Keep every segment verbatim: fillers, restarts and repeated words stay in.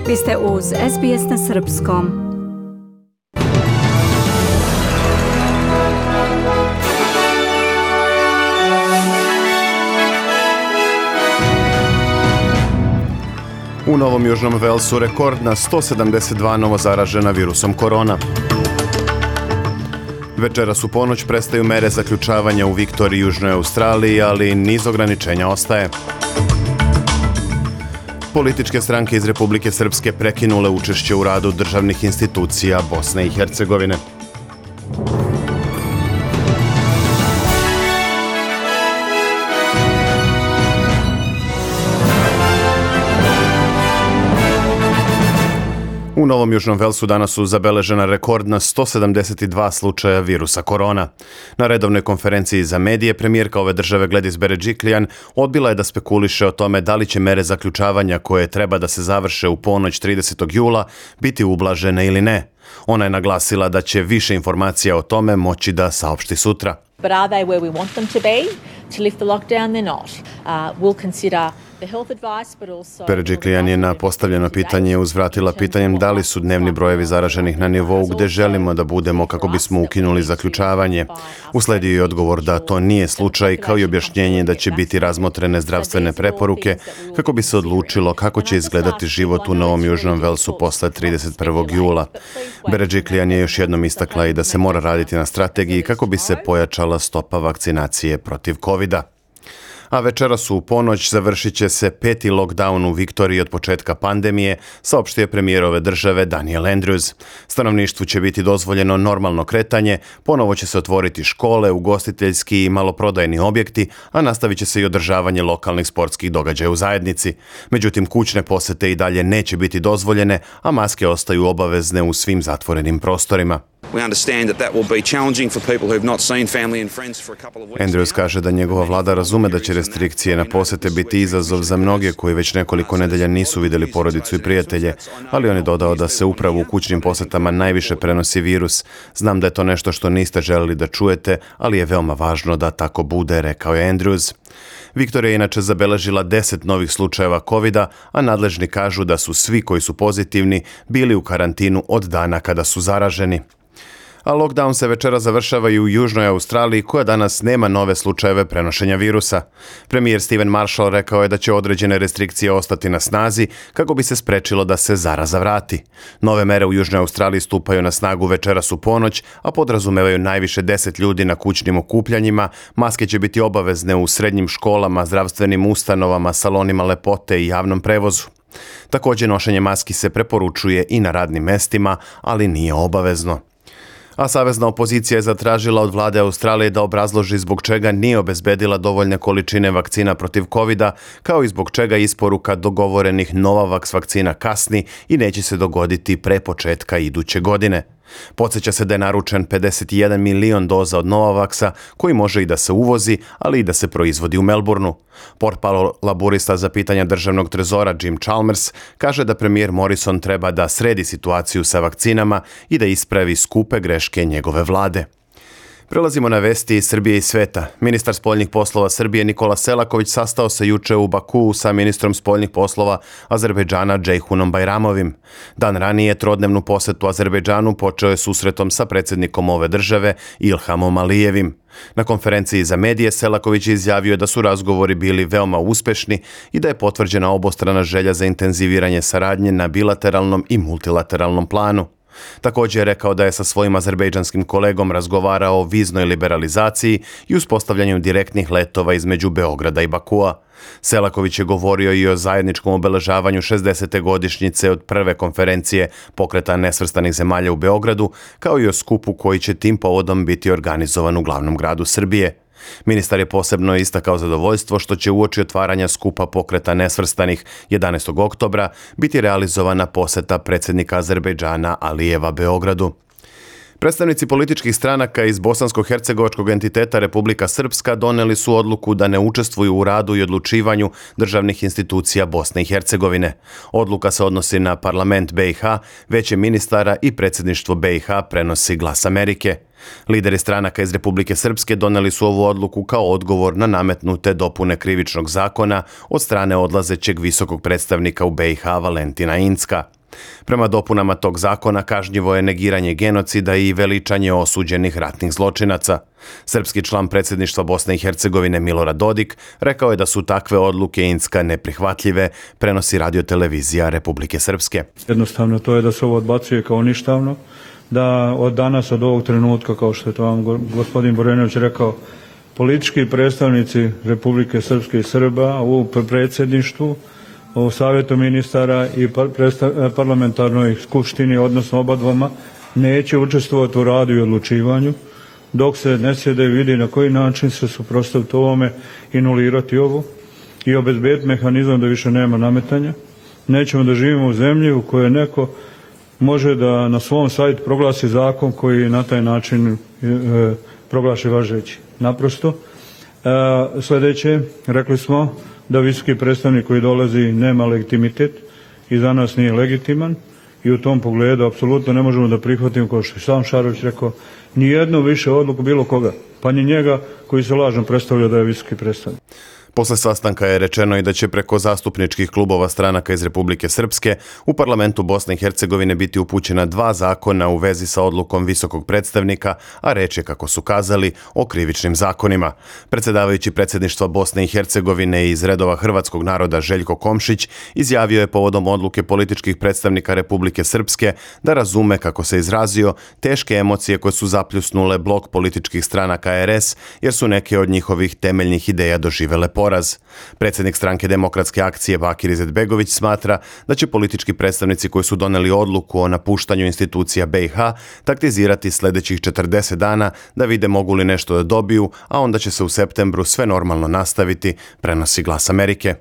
Vi ste uz S B S na srpskom. U Novom Južnom Velsu rekordna sto sedamdeset dva novo zaražena virusom korona. Večeras u ponoć prestaju mere zaključavanja u Viktoriji i Južnoj Australiji, ali niz ograničenja ostaje. Političke stranke iz Republike Srpske prekinule učešće u radu državnih institucija Bosne i Hercegovine. U Novom Južnom Velsu danas su zabeležena rekordna sto sedamdeset dva slučaja virusa korona. Na redovnoj konferenciji za medije premijerka ove države Gladys Berejiklian odbila je da spekuliše o tome da li će mere zaključavanja koje treba da se završe u ponoć tridesetog jula biti ublažene ili ne. Ona je naglasila da će više informacija o tome moći da saopšti sutra. But are they where we want them to be? To lift the lockdown, they're not. Uh, we'll consider the health advice, but also... Berejiklian je na postavljeno pitanje uzvratila pitanjem da li su dnevni brojevi zaraženih na nivou gde želimo da budemo kako bismo ukinuli zaključavanje. Usledio je odgovor da to nije slučaj, kao i objašnjenje da će biti razmotrene zdravstvene preporuke kako bi se odlučilo kako će izgledati život u Novom Južnom Velsu posle trideset prvog jula. Berejiklian je još jednom istakla i da se mora raditi na strategiji kako bi se pojačala stopa vakcinacije protiv kovida. A večeras u ponoć završit će se peti lockdown u Viktoriji od početka pandemije, saopštio je premijer ove države Daniel Andrews. Stanovništvu će biti dozvoljeno normalno kretanje, ponovo će se otvoriti škole, ugostiteljski i maloprodajni objekti, a nastavit će se i održavanje lokalnih sportskih događaja u zajednici. Međutim, kućne posete i dalje neće biti dozvoljene, a maske ostaju obavezne u svim zatvorenim prostorima. Andrews kaže da njegova vlada razume da će restrikcije na posete biti izazov za mnoge koji već nekoliko nedelja nisu vidjeli porodicu i prijatelje, ali on je dodao da se upravo u kućnim posetama najviše prenosi virus. Znam da je to nešto što niste želeli da čujete, ali je veoma važno da tako bude, rekao je Andrews. Viktorija je inače zabeležila deset novih slučajeva kovida, a nadležni kažu da su svi koji su pozitivni bili u karantinu od dana kada su zaraženi. A lockdown se večera završava i u Južnoj Australiji, koja danas nema nove slučajeve prenošenja virusa. Premijer Stephen Marshall rekao je da će određene restrikcije ostati na snazi kako bi se sprečilo da se zaraza vrati. Nove mere u Južnoj Australiji stupaju na snagu večeras u ponoć, a podrazumevaju najviše deset ljudi na kućnim okupljanjima, maske će biti obavezne u srednjim školama, zdravstvenim ustanovama, salonima lepote i javnom prevozu. Također nošenje maski se preporučuje i na radnim mestima, ali nije obavezno. A savezna opozicija je zatražila od vlade Australije da obrazloži zbog čega nije obezbedila dovoljne količine vakcina protiv kovida, kao i zbog čega isporuka dogovorenih Novavax vakcina kasni i neće se dogoditi pre početka iduće godine. Podsjeća se da je naručen pedeset jedan milion doza od Novavaxa, koji može i da se uvozi, ali i da se proizvodi u Melbourneu. Portparol laburista za pitanja državnog trezora Jim Chalmers kaže da premijer Morrison treba da sredi situaciju sa vakcinama i da ispravi skupe greške njegove vlade. Prelazimo na vesti iz Srbije i sveta. Ministar spoljnih poslova Srbije Nikola Selaković sastao se juče u Bakuu sa ministrom spoljnih poslova Azerbejdžana Džejhunom Bajramovim. Dan ranije trodnevnu posetu Azerbejdžanu počeo je susretom sa predsjednikom ove države Ilhamom Alijevim. Na konferenciji za medije Selaković je izjavio da su razgovori bili veoma uspešni i da je potvrđena obostrana želja za intenziviranje saradnje na bilateralnom i multilateralnom planu. Također je rekao da je sa svojim azerbejdžanskim kolegom razgovarao o viznoj liberalizaciji i uspostavljanju direktnih letova između Beograda i Bakua. Selaković je govorio i o zajedničkom obeležavanju šezdesete godišnjice od prve konferencije Pokreta nesvrstanih zemalja u Beogradu, kao i o skupu koji će tim povodom biti organizovan u glavnom gradu Srbije. Ministar je posebno istakao zadovoljstvo što će uoči otvaranja skupa Pokreta nesvrstanih jedanaestog oktobra biti realizovana poseta predsjednika Azerbejdžana Alijeva Beogradu. Predstavnici političkih stranaka iz bosansko-hercegovačkog entiteta Republika Srpska doneli su odluku da ne učestvuju u radu i odlučivanju državnih institucija Bosne i Hercegovine. Odluka se odnosi na parlament B i H, veće ministara i predsjedništvo B i H, prenosi Glas Amerike. Lideri stranaka iz Republike Srpske doneli su ovu odluku kao odgovor na nametnute dopune krivičnog zakona od strane odlazećeg visokog predstavnika u B i H Valentina Incka. Prema dopunama tog zakona kažnjivo je negiranje genocida i veličanje osuđenih ratnih zločinaca. Srpski član predsjedništva Bosne i Hercegovine Milorad Dodik rekao je da su takve odluke Incka neprihvatljive, prenosi radiotelevizija Republike Srpske. Jednostavno to je da se ovo odbacuje kao ništavno, da od danas, od ovog trenutka, kao što je to vam gospodin Borenović rekao, politički predstavnici Republike Srpske i Srba u predsjedništvu, u Savjetu ministara i parlamentarnoj skupštini, odnosno oba dvoma, neće učestvovati u radu i odlučivanju, dok se ne sjede i vidi na koji način se suprotstaviti ovome i nulirati ovo i obezbediti mehanizam da više nema nametanja. Nećemo da živimo u zemlji u kojoj neko može da na svom sajtu proglasi zakon koji na taj način e, proglaši važeći. Naprosto. E, sljedeće, rekli smo da visoki predstavnik koji dolazi nema legitimitet i za nas nije legitiman i u tom pogledu apsolutno ne možemo da prihvatimo, kao što je sam Šarović rekao, ni jednu više odluku bilo koga, pa ni njega koji se lažno predstavlja da je visoki predstavnik. Posle sastanka je rečeno i da će preko zastupničkih klubova stranaka iz Republike Srpske u parlamentu Bosne i Hercegovine biti upućena dva zakona u vezi sa odlukom visokog predstavnika, a reč je, kako su kazali, o krivičnim zakonima. Predsjedavajući predsjedništva Bosne i Hercegovine iz redova hrvatskog naroda Željko Komšić izjavio je povodom odluke političkih predstavnika Republike Srpske da razume, kako se izrazio, teške emocije koje su zapljusnule blok političkih stranaka R S, jer su neke od njihovih temeljnih ideja doživele poraz. Predsjednik stranke Demokratske akcije Bakir Izetbegović smatra da će politički predstavnici koji su doneli odluku o napuštanju institucija B i H taktizirati sljedećih četrdeset dana da vide mogu li nešto da dobiju, a onda će se u septembru sve normalno nastaviti, prenosi Glas Amerike.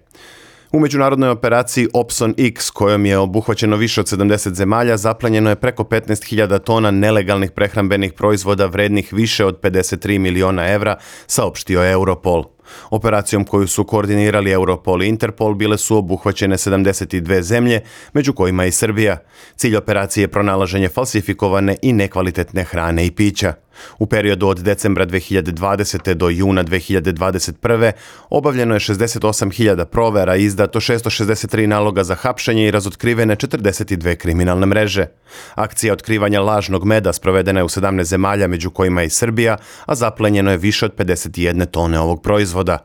U međunarodnoj operaciji Opson X, kojom je obuhvaćeno više od sedamdeset zemalja, zaplenjeno je preko petnaest hiljada tona nelegalnih prehrambenih proizvoda vrednih više od pedeset tri miliona evra, saopštio je Europol. Operacijom koju su koordinirali Europol i Interpol bile su obuhvaćene sedamdeset dvije zemlje, među kojima i Srbija. Cilj operacije je pronalaženje falsifikovane i nekvalitetne hrane i pića. U periodu od decembra dve hiljade dvadesete. do juna dve hiljade dvadeset prve. obavljeno je šezdeset osam hiljada provera, izdato šesto šezdeset tri naloga za hapšenje i razotkrivene četrdeset dvije kriminalne mreže. Akcija otkrivanja lažnog meda sprovedena je u sedamnaest zemalja, među kojima i Srbija, a zaplenjeno je više od pedeset jedne tone ovog proizvoda.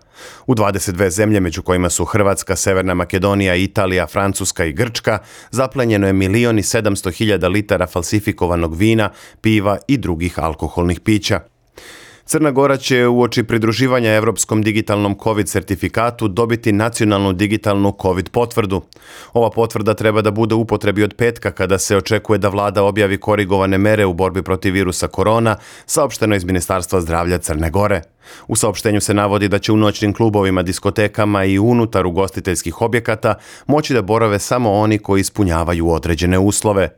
U dvadeset dvije zemlje, među kojima su Hrvatska, Severna Makedonija, Italija, Francuska i Grčka, zaplenjeno je milion i sedamsto hiljada litara falsifikovanog vina, piva i drugih alkoholnih pića. Crna Gora će uoči pridruživanja Evropskom digitalnom COVID sertifikatu dobiti nacionalnu digitalnu COVID potvrdu. Ova potvrda treba da bude u upotrebi od petka, kada se očekuje da vlada objavi korigovane mere u borbi protiv virusa korona, saopšteno iz Ministarstva zdravlja Crne Gore. U saopštenju se navodi da će u noćnim klubovima, diskotekama i unutar ugostiteljskih objekata moći da borave samo oni koji ispunjavaju određene uslove.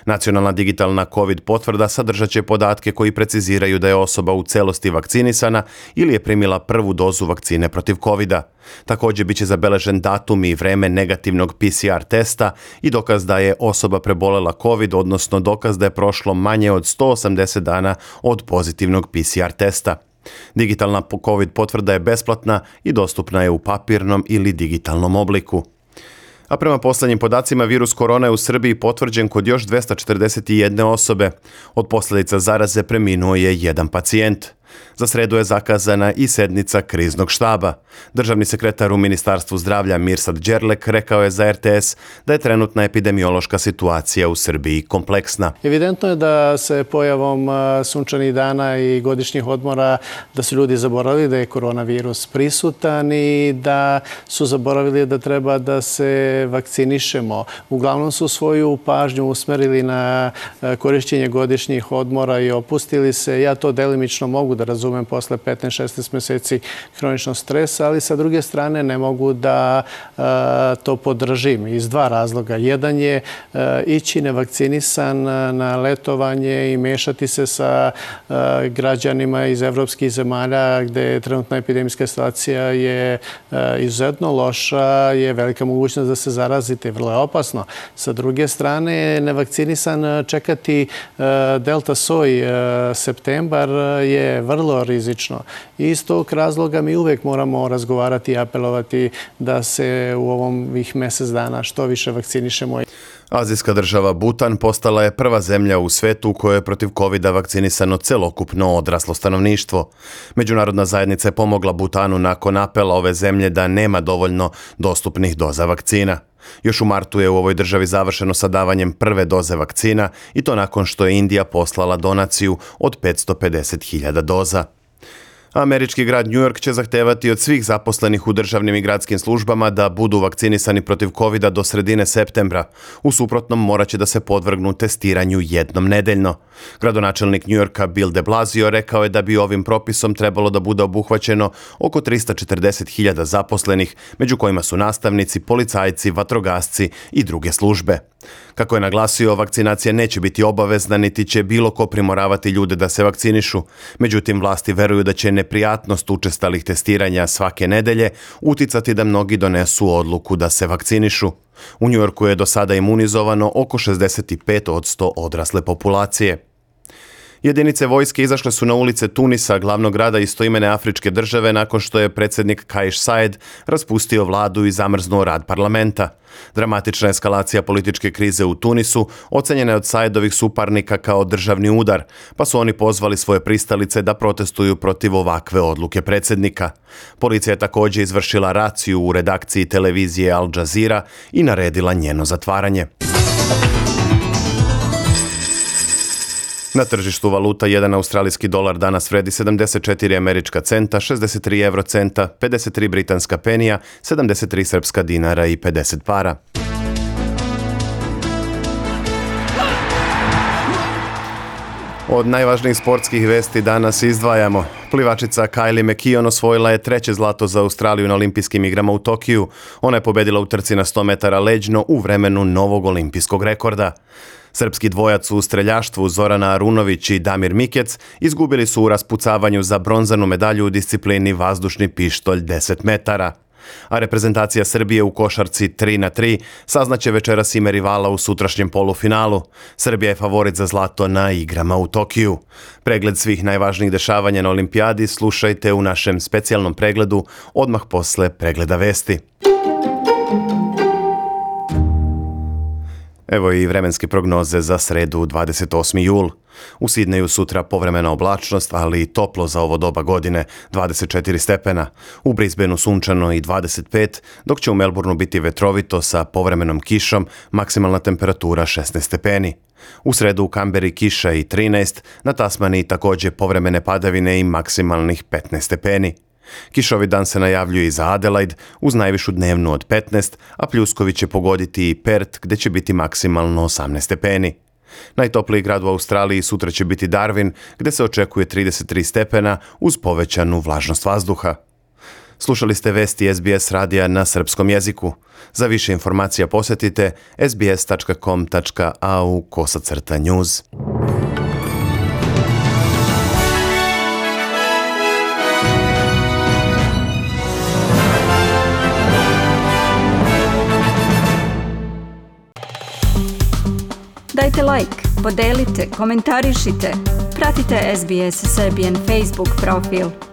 Nacionalna digitalna COVID potvrda sadržat će podatke koji preciziraju da je osoba u celosti vakcinisana ili je primila prvu dozu vakcine protiv kovida. Također biće zabeležen datum i vreme negativnog P C R testa i dokaz da je osoba prebolela COVID, odnosno dokaz da je prošlo manje od sto osamdeset dana od pozitivnog P C R testa. Digitalna COVID potvrda je besplatna i dostupna je u papirnom ili digitalnom obliku. A prema posljednjim podacima, virus korona je u Srbiji potvrđen kod još dvesta četrdeset jedne osobe. Od posljedica zaraze preminuo je jedan pacijent. Za sredu je zakazana i sednica kriznog štaba. Državni sekretar u Ministarstvu zdravlja Mirsad Đerlek rekao je za R T S da je trenutna epidemiološka situacija u Srbiji kompleksna. Evidentno je da se pojavom sunčanih dana i godišnjih odmora da su ljudi zaboravili da je koronavirus prisutan i da su zaboravili da treba da se vakcinišemo. Uglavnom su svoju pažnju usmerili na korišćenje godišnjih odmora i opustili se. Ja to delimično mogu da razumem posle petnaest šesnaest mjeseci hroničnog stresa, ali sa druge strane ne mogu da uh, to podržim iz dva razloga. Jedan je uh, ići nevakcinisan na letovanje i mešati se sa uh, građanima iz evropskih zemalja gde je trenutna epidemijska situacija je uh, izuzetno loša, je velika mogućnost da se zarazite, vrlo je opasno. Sa druge strane, nevakcinisan čekati uh, delta soj uh, septembar je vrlo rizično. I iz tog razloga mi uvek moramo razgovarati i apelovati da se u ovom mjesec dana što više vakcinišemo. Azijska država Butan postala je prva zemlja u svetu u kojoj je protiv kovida vakcinisano celokupno odraslo stanovništvo. Međunarodna zajednica je pomogla Butanu nakon apela ove zemlje da nema dovoljno dostupnih doza vakcina. Još u martu je u ovoj državi završeno sa davanjem prve doze vakcina i to nakon što je Indija poslala donaciju od petsto pedeset hiljada doza. Američki grad New York će zahtevati od svih zaposlenih u državnim i gradskim službama da budu vakcinisani protiv kovida do sredine septembra. U suprotnom morat će da se podvrgnu testiranju jednom nedeljno. Gradonačelnik New Yorka Bill de Blasio rekao je da bi ovim propisom trebalo da bude obuhvaćeno oko trista četrdeset hiljada zaposlenih, među kojima su nastavnici, policajci, vatrogasci i druge službe. Kako je naglasio, vakcinacija neće biti obavezna niti će bilo ko primoravati ljude da se vakcinišu. Međutim, vlasti veruju da će neprijatnost učestalih testiranja svake nedelje uticati da mnogi donesu odluku da se vakcinišu. U New Yorku je do sada imunizovano oko šezdeset pet posto odrasle populacije. Jedinice vojske izašle su na ulice Tunisa, glavnog grada istoimene afričke države, nakon što je predsjednik Kais Saied raspustio vladu i zamrznuo rad parlamenta. Dramatična eskalacija političke krize u Tunisu ocenjena je od Saidovih suparnika kao državni udar, pa su oni pozvali svoje pristalice da protestuju protiv ovakve odluke predsjednika. Policija je također izvršila raciju u redakciji televizije Al Jazeera i naredila njeno zatvaranje. Na tržištu valuta jedan australijski dolar danas vredi sedamdeset četiri američka centa, šezdeset tri evrocenta, pedeset tri britanska penija, sedamdeset tri srpska dinara i pedeset para. Od najvažnijih sportskih vesti danas izdvajamo. Plivačica Kylie McKeown osvojila je treće zlato za Australiju na olimpijskim igrama u Tokiju. Ona je pobedila u trci na sto metara leđno u vremenu novog olimpijskog rekorda. Srpski dvojac u streljaštvu Zorana Arunović i Damir Mikec izgubili su u raspucavanju za bronzanu medalju u disciplini vazdušni pištolj deset metara. A reprezentacija Srbije u košarci tri na tri saznaće večeras ime rivala u sutrašnjem polufinalu. Srbija je favorit za zlato na igrama u Tokiju. Pregled svih najvažnijih dešavanja na olimpijadi slušajte u našem specijalnom pregledu odmah posle pregleda vesti. Evo i vremenske prognoze za sredu dvadeset osmi jul. U Sidneju sutra povremena oblačnost, ali i toplo za ovo doba godine, dvadeset četiri stepena. U Brisbaneu sunčano i dvadeset pet, dok će u Melbourneu biti vetrovito sa povremenom kišom, maksimalna temperatura šesnaest stepeni. U sredu u Kamberi kiša i trinaest, na Tasmaniji također povremene padavine i maksimalnih petnaest stepeni. Kišovi dan se najavljuje i za Adelaide uz najvišu dnevnu od petnaest, a pljuskovi će pogoditi i Perth gdje će biti maksimalno osamnaest stepeni. Najtopliji grad u Australiji sutra će biti Darwin gdje se očekuje trideset tri stepena uz povećanu vlažnost vazduha. Slušali ste vesti S B S radija na srpskom jeziku. Za više informacija posjetite sbs tačka com tačka a u kosacrta news. Dajte like, podelite, komentarišite. Pratite S B S Serbian Facebook profil.